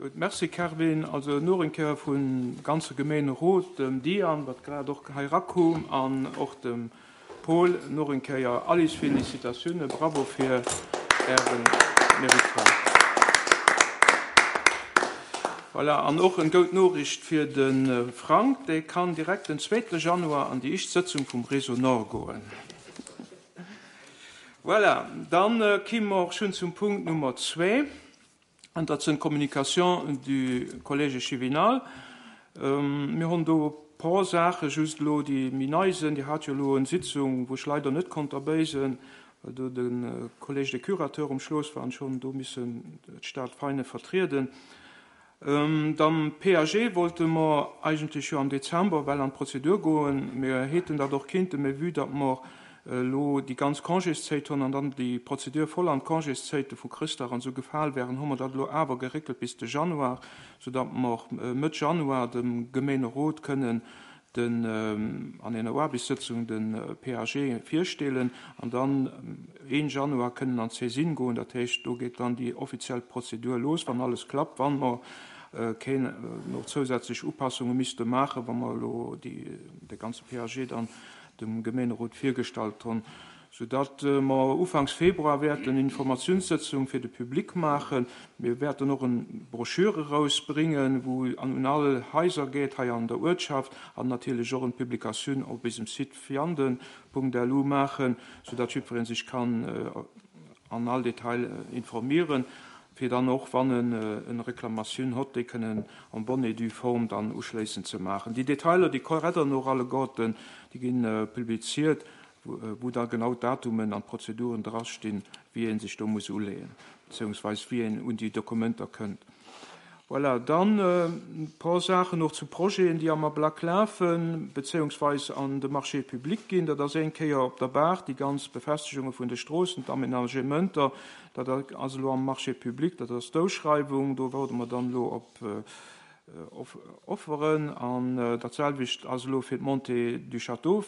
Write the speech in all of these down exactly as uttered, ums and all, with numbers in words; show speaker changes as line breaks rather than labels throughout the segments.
Gutt, merci Kerwin. Also nach eng Kéier vum ganze Gemeenerot, dem Diane, wat grad och hei rakoum, an och dem Paul nach eng Kéier all eis Félicitatiounen. Bravo fir äre Mérite. Voilà, an och eng gutt Noriicht fir de Frank, dee kann direkt den zweete Januar an déi éischt Sëtzung vum Réseau Nord goen. Voilà, dann äh, komme mer och schonn zum Punkt Nummer zwee. An dat sinn Communications du Collège échevinal. Ähm, mir hunn do puer Saache just lo, déi méi nei sinn, déi hat jo lo eng Sitzung, wou ech leider net konnt derbäi sinn, well do de äh, Collège des Curateurs um Schloss war an schonn do missen d'Stad Veinen vertrieden. Ähm, dann P A G wollte mer eigentlech jo am Dezember well an d'Prozedur goen. Mir hätten dat och kinnten, mee vue datt mer äh, lo déi ganz Congészäit hunn an dann déi Prozedur voll an d'Congészäite vu Chrëschtdag an sou gefall wären, hu mer dat lo awer geréckelt bis de Januar, soudatt mer äh, Mëtt Januar dem Gemeenerot kënnen den ähm, an enger Aarbechtssëtzung den äh, P A G virstellen an dann ähm, een Januar kënnen an d'Saisine goen. Dat heescht, do geet dann déi offiziell Prozedur los, wann alles klappt, wann mer äh, keng äh, nach zousätzlech Upassunge misste maachen, wa mer lo déi, de ganze P A G dann dem Gemeenerot virgestallt hunn, soudatt äh, mer Ufanks Februar wäerten Informatiounssëtzung fir de Public maachen. Mir wäerten och eng Broschüre rausbréngen, wou an un all Haiser geet hei an der Uertschaft, an natierlech och eng Publikatioun op eisem Site vianden Punkt L U maachen, soudatt jiddweree sech kann äh, an all Detail äh, informéieren, fir dann och, wann en eng Reklamatioun huet, déi kënnen en bonne et due forme dann uschléissend ze maachen. Déi Detailer, déi kommen nach alleguerten, déi ginn äh, publiziert, wou, äh, wou da genau Datumen an Prozeduren drastinn, wéi ee sech do muss uleeën, beziehungsweise wéi een un déi Dokumenter kënnt. Voilà, dann äh, e puer Saachen nach zu Projeten, déi am Ablack lafen, beziehungsweise an de Marché public ginn. Dat ass eng Kéier op der Baach, déi ganz Befestegunge vun de Stroossen, d'Aménagementer, dat ass lo am Marché public, dat ass d'Ausschreiwung, do waarde mer dann lo op äh, Offeren an äh, dat selwecht ass lo fir d'Montée du Château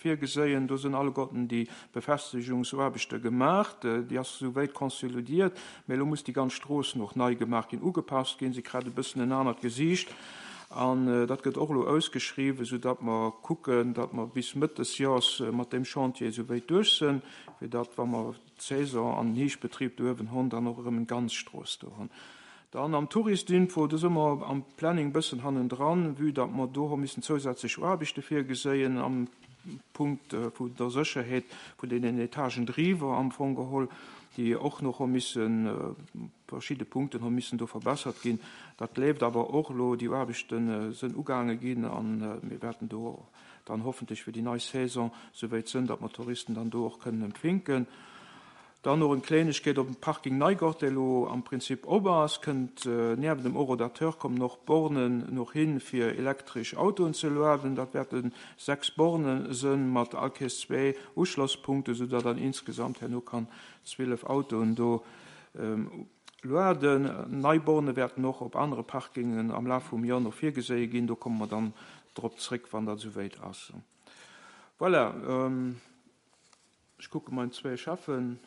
virgesinn. Do sinn alleguerten déi Befestegungsaarbechte gemaach, äh, déi ass souwäit konsolidiert, mee lo muss déi ganz Strooss nach nei gemaach ginn, ugepasst ginn, si kritt e bëssen en anert Gesiicht. An äh, dat gëtt och lo ausgeschriwwen, soudatt mer kucken, datt mer bis Mëtt des Joers äh, mat deem Chantier souwäit duerch sinn, fir datt, wa mer d'Saison an den Hierschtbetrib do uewen hunn, dann och erëm eng ganz Strooss do hunn. Dann am Touristinfo, do si mer am Planning bëssen hannendran, vue datt mer do hu missen zousätzlech Aarbechte virgesinn am Punkt äh, vun der Sécherheet vun den Etagen driwwer am Fong geholl, déi och nach hu missen äh, verschidde Punkten hu missen do verbessert ginn. Dat leeft awer och lo, déi Aarbechten äh, sinn ugaange ginn an äh, mir wäerten do dann hoffentlech fir déi nei Saison souwäit sinn, datt mer Touristen dann do och kënnen empfänken. Dann nach eng Klengegkeet op dem Parking Neigott, dee lo am Prinzip op ass, kënnt äh, nieft dem Horodateur kommen nach Bornen nach hin fir elektresch Autoen ze lueden. Dat wäerten sechs Bornen sinn mat all Kéiers zwee Uschlosspunkten, soudatt dann insgesamt herno kann zwielef Autoen do ähm, lueden. Nei Borne wäerten och op anere Parkingen am Laf vum Joer nach virgesi ginn. Do komme mer dann drop zréck, wann dat souwäit ass. Voilà, ähm, ech kucke meng zwee Cheffen.